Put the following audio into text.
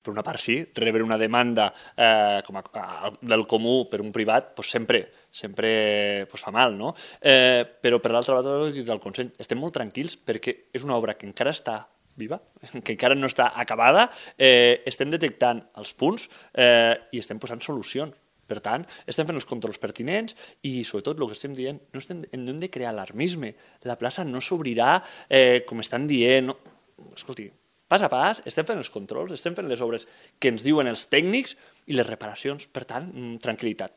per una part sí, rebre una demanda del comú per un privat sempre fa mal, no? Però per l'altra banda, del Consell, estem molt tranquils perquè és una obra que encara està viva, que encara no està acabada, estem detectant els punts i estem posant solucions. Per tant, estem fent els controls pertinents i, sobretot, el que estem dient, no hem de crear alarmisme. La plaça no s'obrirà com estan dient. No. Escolti, pas a pas, estem fent els controls, estem fent les obres que ens diuen els tècnics i les reparacions. Per tant, tranquil·litat.